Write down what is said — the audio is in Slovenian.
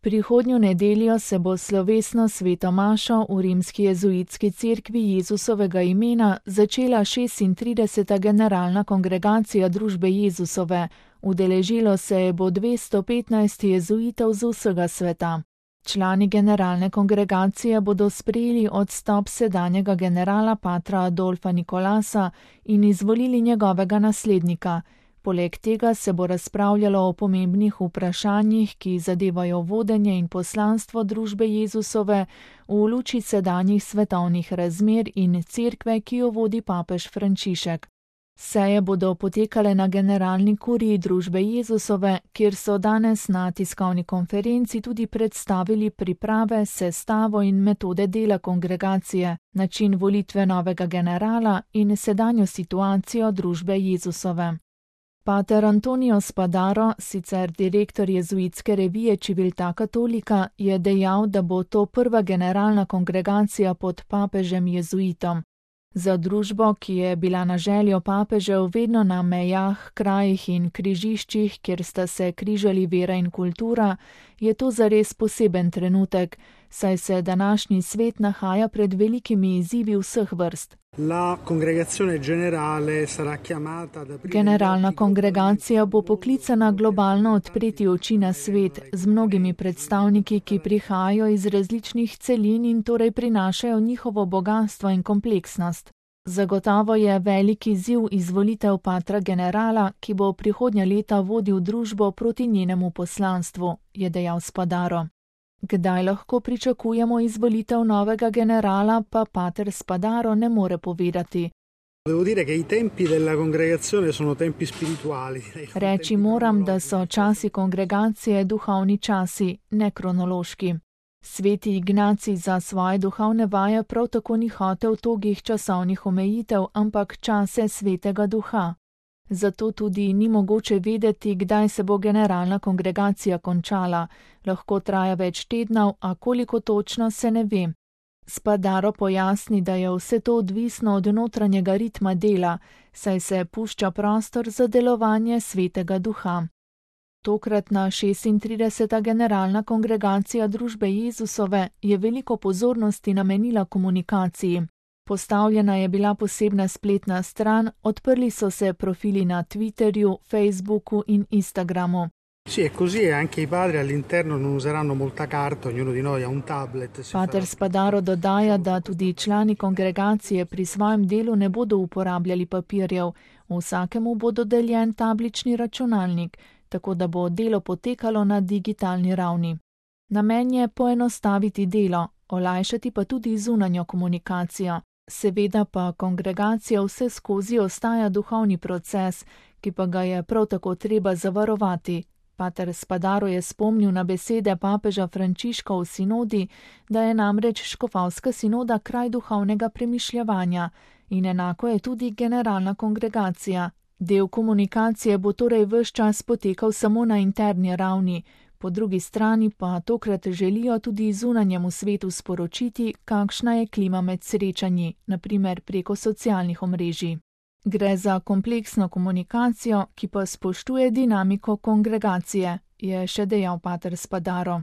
Prihodnjo nedeljo se bo slovesno sveto mašo v rimski jezuitski cerkvi Jezusovega imena začela 36. generalna kongregacija družbe Jezusove. Udeležilo se je bo 215 jezuitov z vsega sveta. Člani generalne kongregacije bodo sprejeli odstop sedanjega generala patra Adolfa Nikolasa in izvolili njegovega naslednika. Poleg tega se bo razpravljalo o pomembnih vprašanjih, ki zadevajo vodenje in poslanstvo družbe Jezusove v luči sedanjih svetovnih razmer in cerkve, ki jo vodi papež Frančišek. Seje bodo potekale na generalni kuriji družbe Jezusove, kjer so danes na tiskovni konferenci tudi predstavili priprave, sestavo in metode dela kongregacije, način volitve novega generala in sedanjo situacijo družbe Jezusove. Pater Antonio Spadaro, sicer direktor jezuitske revije Civiltà Cattolica, je dejal, da bo to prva generalna kongregacija pod papežem jezuitom. Za družbo, ki je bila na željo papežev vedno na mejah, krajih in križiščih, kjer sta se križali vera in kultura, je to zares poseben trenutek, saj se današnji svet nahaja pred velikimi izzivi vseh vrst. Generalna kongregacija bo poklicana globalno odpreti oči na svet z mnogimi predstavniki, ki prihajajo iz različnih celin in torej prinašajo njihovo bogastvo in kompleksnost. Zagotovo je velik izziv izvolitev patra generala, ki bo prihodnja leta vodil družbo proti njenemu poslanstvu, je dejal Spadaro. Kdaj lahko pričakujemo izvolitev novega generala, pa pater Spadaro ne more povedati. Reči moram, da so časi kongregacije duhovni časi, ne kronološki. Sveti Ignacij za svoje duhovne vaje prav tako ni hotel togih časovnih omejitev, ampak čase svetega duha. Zato tudi ni mogoče vedeti, kdaj se bo generalna kongregacija končala. Lahko traja več tednov, a koliko točno se ne ve. Spadaro pojasni, da je vse to odvisno od notranjega ritma dela, saj se pušča prostor za delovanje svetega duha. Tokratna 36. generalna kongregacija družbe Jezusove je veliko pozornosti namenila komunikaciji. Postavljena je bila posebna spletna stran, odprli so se profili na Twitterju, Facebooku in Instagramu. Pater Spadaro dodaja, da tudi člani kongregacije pri svojem delu ne bodo uporabljali papirjev, vsakemu bo dodeljen tablični računalnik, tako da bo delo potekalo na digitalni ravni. Namen je poenostaviti delo, olajšati pa tudi zunanjo komunikacijo. Seveda pa kongregacija vse skozi ostaja duhovni proces, ki pa ga je prav tako treba zavarovati. Pater Spadaro je spomnil na besede papeža Frančiška v sinodi, da je namreč škofovska sinoda kraj duhovnega premišljevanja in enako je tudi generalna kongregacija. Del komunikacije bo torej ves čas potekal samo na interni ravni, po drugi strani pa tokrat želijo tudi zunanjemu svetu sporočiti, kakšna je klima med srečanji, na primer preko socialnih omrežij. Gre za kompleksno komunikacijo, ki pa spoštuje dinamiko kongregacije, je še dejal pater Spadaro.